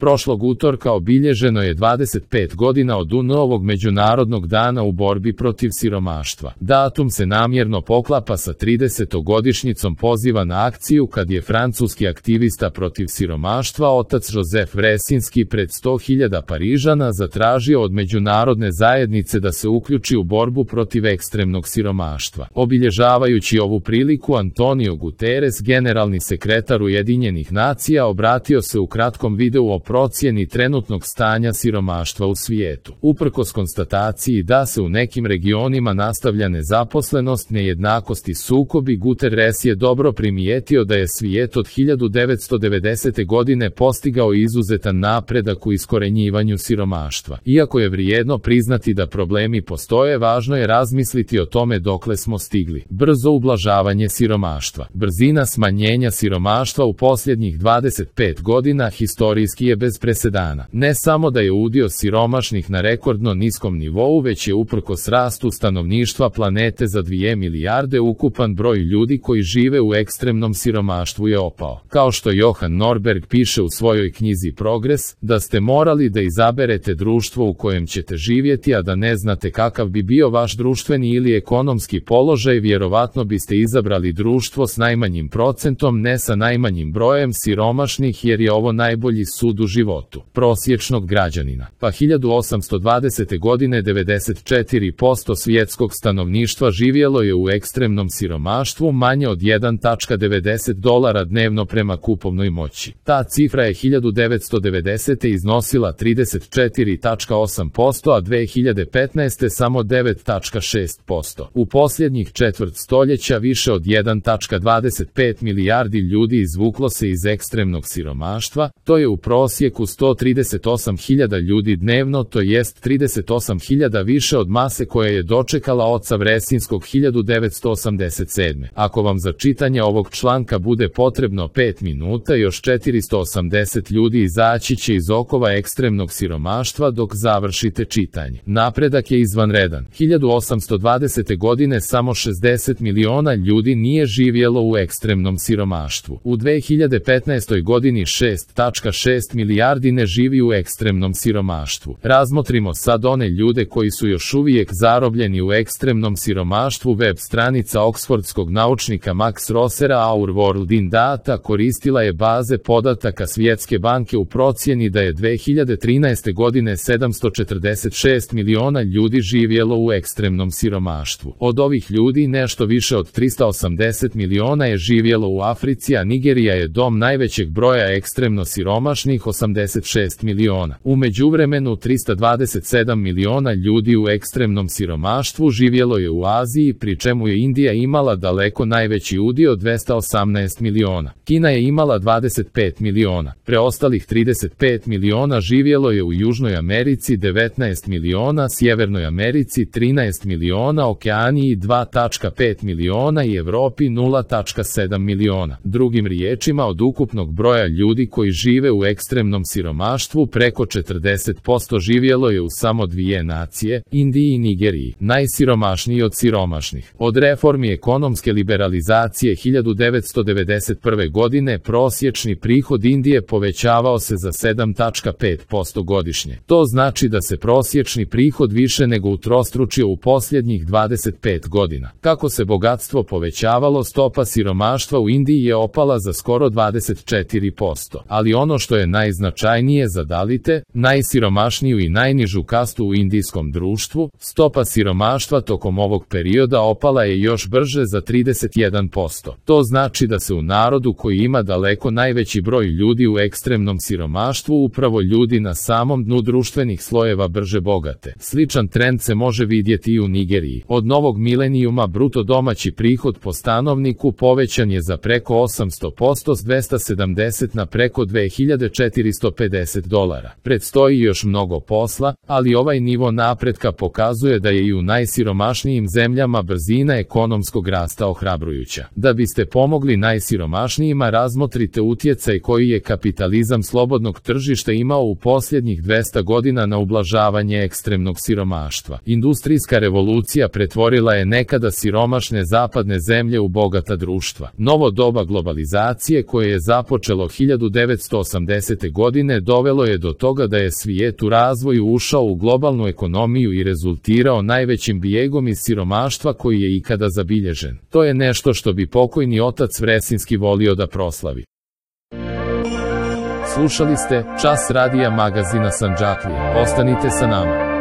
Prošlog utorka obilježeno je 25 godina od UN-ovog Međunarodnog dana u borbi protiv siromaštva. Datum se namjerno poklapa sa 30-godišnjicom poziva na akciju kad je francuski aktivista protiv siromaštva otac Joseph Vresinski pred 100.000 Parižana zatražio od međunarodne zajednice da se uključi u borbu protiv ekstremnog siromaštva. Obilježavajući ovu priliku, Antonio Guterres, generalni sekretar Ujedinjenih nacija, obratio se u kratkom videu o procjeni trenutnog stanja siromaštva u svijetu. Uprkos konstataciji da se u nekim regionima nastavlja nezaposlenost, nejednakost i sukobi, Guterres je dobro primijetio da je svijet od 1990. godine postigao izuzetan napredak u iskorenjivanju siromaštva. Iako je vrijedno priznati da problemi postoje, važno je razmisliti o tome dokle smo stigli. Brzo ublažavanje siromaštva. Brzina smanjenja siromaštva u posljednjih 25 godina historijski je bez presedana. Ne samo da je udio siromašnih na rekordno niskom nivou, već je uprkos rastu stanovništva planete za 2 milijarde ukupan broj ljudi koji žive u ekstremnom siromaštvu je opao. Kao što Johan Norberg piše u svojoj knjizi Progres, da ste morali da izaberete društvo u kojem ćete živjeti, a da ne znate kakav bi bio vaš društveni ili ekonomski položaj, vjerovatno biste izabrali društvo s najmanjim procentom, ne sa najmanjim brojem siromašnih, jer je ovo najbolji sud u životu prosječnog građanina. Pa 1820. godine 94% svjetskog stanovništva živjelo je u ekstremnom siromaštvu, manje od $1.90 dnevno prema kupovnoj moći. Ta cifra je 1990. iznosila 34,8%, a 2015. samo 9,6%. U posljednjih četvrt stoljeća više od 1,25 milijardi ljudi izvuklo se iz ekstremnog siromaštva, to je u prosjeku 138.000 ljudi dnevno, to jest 38.000 više od mase koja je dočekala oca Vresinskog 1987. Ako vam za čitanje ovog članka bude potrebno 5 minuta, još 480 ljudi izaći će iz okova ekstremnog siromaštva dok završite čitanje. Napredak je izvanredan. 1820. godine samo 60 miliona ljudi nije živjelo u ekstremnom siromaštvu. U 2015. godini 6,6 milijardi ne živi u ekstremnom siromaštvu. Razmotrimo sad one ljude koji su još uvijek zarobljeni u ekstremnom siromaštvu. Web stranica oksfordskog naučnika Max Rossera Our World in Data koristila je baze podataka Svjetske banke u procjeni da je 2013. godine 746 miliona ljudi živjelo u ekstremnom siromaštvu. Od ovih ljudi nešto više od 380 miliona je živjelo u Africi, a Nigerija je dom najvećeg broja ekstremno siromašnih, 86 miliona. U međuvremenu 327 miliona ljudi u ekstremnom siromaštvu živjelo je u Aziji, pri čemu je Indija imala daleko najveći udio, 218 miliona. Kina je imala 25 miliona. Preostalih 35 miliona živjelo je u Južnoj Americi, 19 miliona, Sjevernoj Americi 13 miliona, Okeaniji 2,5 miliona i Evropi 0,7 miliona. Drugim riječima, od ukupnog broja ljudi koji žive u ekstremnom siromaštvu, preko 40% živjelo je u samo 2 nacije, Indiji i Nigeriji, najsiromašniji od siromašnih. Od reformi ekonomske liberalizacije 1991. godine prosječni prihod Indije povećavao se za 7,5% godišnje. To znači da se prosječni prihod više nego utrostručio u posljednjih 25 godina. Kako se bogatstvo povećavalo, stopa siromaštva u Indiji je opala za skoro 24%. Ali ono što je najznačajnije za Dalite, najsiromašniju i najnižu kastu u indijskom društvu, stopa siromaštva tokom ovog perioda opala je još brže za 31%. To znači da se u narodu koji ima daleko najveći broj ljudi u ekstremnom siromaštvu upravo ljudi na samom dnu društvenih slojeva brže bogate. Sličan trend se može vidjeti i u Nigeriji. Od novog milenijuma bruto domaći prihod po stanovniku povećan je za preko 800% s 270 na preko $2450. Predstoji još mnogo posla, ali ovaj nivo napretka pokazuje da je i u najsiromašnijim zemljama brzina ekonomskog rasta ohrabrujuća. Da biste pomogli najsiromašnijima, razmotrite utjecaj koji je kapitalizam slobodnog tržišta imao u posljednjih 200 godina na ublažavanje ekstremnog siromaštva. Industrijska revolucija pretvorila je nekada siromašne zapadne zemlje u bogata društva. Novo doba globalizacije koje je započelo 1980. godine dovelo je do toga da je svijet u razvoju ušao u globalnu ekonomiju i rezultirao najvećim bijegom iz siromaštva koji je ikada zabilježen. To je nešto što bi pokojni otac Vresinski volio da proslavi. Slušali ste Čas radija magazina Sandžaklija. Ostanite sa nama.